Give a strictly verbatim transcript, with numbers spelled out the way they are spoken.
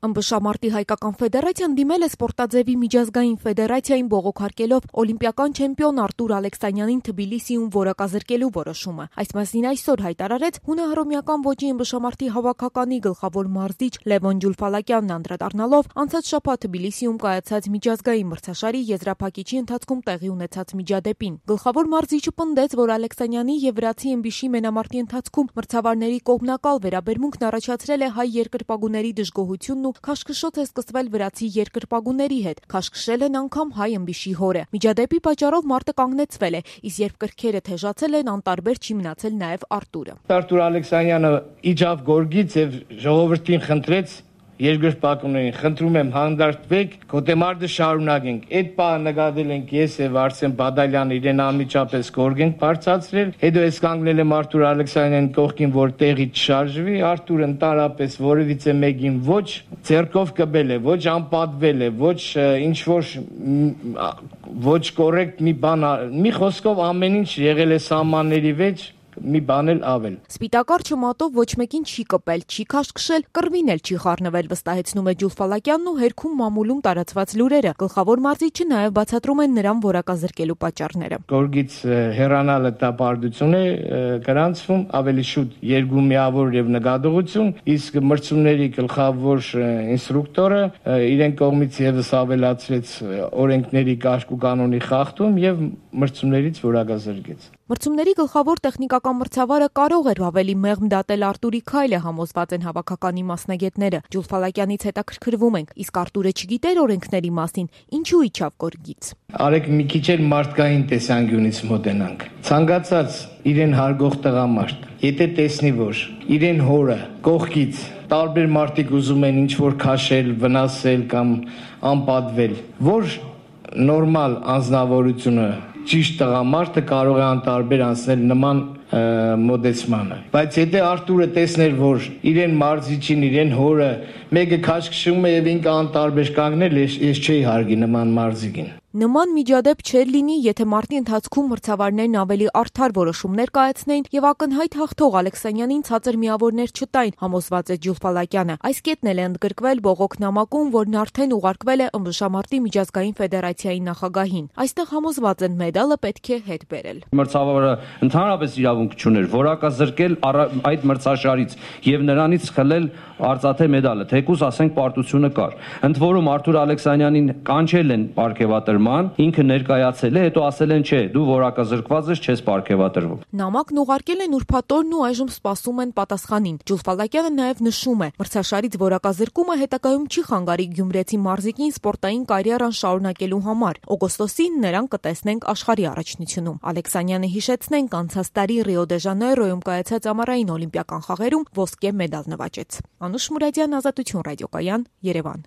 Ըմբշամարտի հայկական ֆեդերացիան դիմել է սպորտաձևի միջազգային ֆեդերացիային բողոքարկելով օլիմպիական չեմպիոն Արտուր Ալեքսանյանին Թբիլիսիում որակազրկելու որոշումը։ Այս մասին այսօր հայտարարեց հունահռոմեական ոճի ըմբշամարտի հավաքականի գլխավոր մարզիչ Լևոն Ջուլֆալակյանն, անդրադառնալով անցած շաբաթ Թբիլիսիում կայացած միջազգային մրցաշարի եզրափակիչի ընթացքում տեղի ունեցած միջադեպին։ Գլխավոր մարզիչը պնդեց, որ Ալեքսանյանի եւ վրացի ըմբիշի մենամարտի ընթացքում մրցավարների կողմնակալ վերաբերմունքն առաջացրել է հայ երկրպագուների դժգոհությունն ու քաշքշոց է սկսվել վրացի երկրպագուների հետ, քաշքշել են անգամ հայ ըմբիշի հորը։ Միջադեպի պատճառով մարտը կանգնեցվել է, իսկ երբ կրքերը թեժացել են, անտարբեր չի մնացել նաև Արտուրը։ Արտուր Ալեքսանյանը իջավ գորգից եւ ժողովրդին խնդրեց, երկրպագուներին, խնդրում եմ հանդարտվեք, գոտեմարտը շարունակենք։ Այդ բանը նկատել ենք ես եւ Արսեն Բադալյանը, իրեն անմիջապես գորգ ենք բարձրացրել։ Հետո ես կանգնել եմ Արտուր Ալեքսանյանի կողքին, որ տեղից շարժվի, Արտուրը ընդհանրապես որևիցե մեկին ոչ ձեռքով կբել է, ոչ անպատվել է, ոչ ինչ որ ոչ կոռեկտ մի բան, մի խոսքով ամեն ինչ եղել է սահմանների մեջ, մի բան էլ ավել։ Սպիտակարճը մատով ոչ մեկին չի կպել, չի քաշքշել, կռվին էլ չի խառնվել, վստահեցնում է Ջուլֆալակյանն ու հերքում մամուլում տարածված լուրերը։ Գլխավոր մարզիչը նաև բացատրում են նրան որակազրկելու պատճառները։ Գորգից հեռանալը դա բարդություն է գրանցվում, ավելի շուտ երկու-միավոր եւ նկատողություն, իսկ մրցումների գլխավոր ինստրուկտորը իրեն կողմից եւս ավելացրեց օրենքների կարգ ու կանոնի խախտում եւ մրցումներից որակազրկեց։ Մրցումների գլխավոր տեխնիկական մրցավարը կարող էր ավելի մեղմ դատել Արտուրի քայլը, համոզված են հավաքականի մասնագետները։ Ջուլֆալակյանից հետաքրքրվում ենք, իսկ Արտուրը չգիտեր օրենքների մասին, ինչու իջավ գորգից։ Արեք մի քիչ էլ մարդկային տեսանկյունից մոտենանք։ Ցանկացած իրեն հարգող տղամարդ, եթե տեսնի, որ իրեն հորը կողքից տարբեր մարդիկ ուզում են ինչ որ քաշել, վնասել կամ անպատվել, որ նորմալ անձնավորությունը ճիշտ տղամարդը կարող է անտարբեր անցնել նման մոդեցմանը։ Բայց եթե Արտուրը տեսներ, որ իրեն մարզիչին, իրեն հորը մեկը քաշքշում է եւ ինքը անտարբեր կանգնել, ես չէի հարգի նման մարզիկին։ Նման միջադեպ չէր լինի, եթե մարտի ընթացքում մրցավարներն ավելի արդար որոշումներ կայացնեին եւ ակնհայտ հաղթող Ալեքսանյանին ցածր միավորներ չտային, համոզված է Ջուլֆալակյանը։ Այս կետն էլ է ընդգրկվել բողոքնամակում, որն արդեն ուղարկվել է ըմբշամարտի միջազգային ֆեդերացիայի նախագահին։ Այստեղ համոզված են մեդալը պետք է հետ բերել։ Մրցավարը ընդհանրապես իրավունք չուներ որակազրկել այդ մրցաշարից եւ նրանից խլել արծաթե մեդալը, թեկուզ ասենք պարտությունը կար։ Ընդ որում Արտուր Ալեքսանյանին կանչել են պարգևատրման, ինքը ներկայացել է, հետո ասել են, չէ, դու որակազրկված ես, չես պարգևատրվում։ Նամակն ուղարկել են ուրբաթօրն ու այժմ սպասում են պատասխանին։ Ջուլֆալակյանը նաև նշում է, մրցաշարից որակազրկումը հետագայում չի խանգարի գյումրեցի մարզիկին սպորտային կարիերան շարունակելու համար։ Օգոստոսին նրան կտեսնենք աշխարհի առաջնությունում։ Ալեքսանյանը հիշեցնենք, անցած տարի Ռիո դե Ժանեյրոյում կայացած ամառային օլիմպիական խաղերում ոսկե մեդալ նվաճեց։ Անուշ Մուրադյան, Ազատություն ռադիոկայան, Երևան։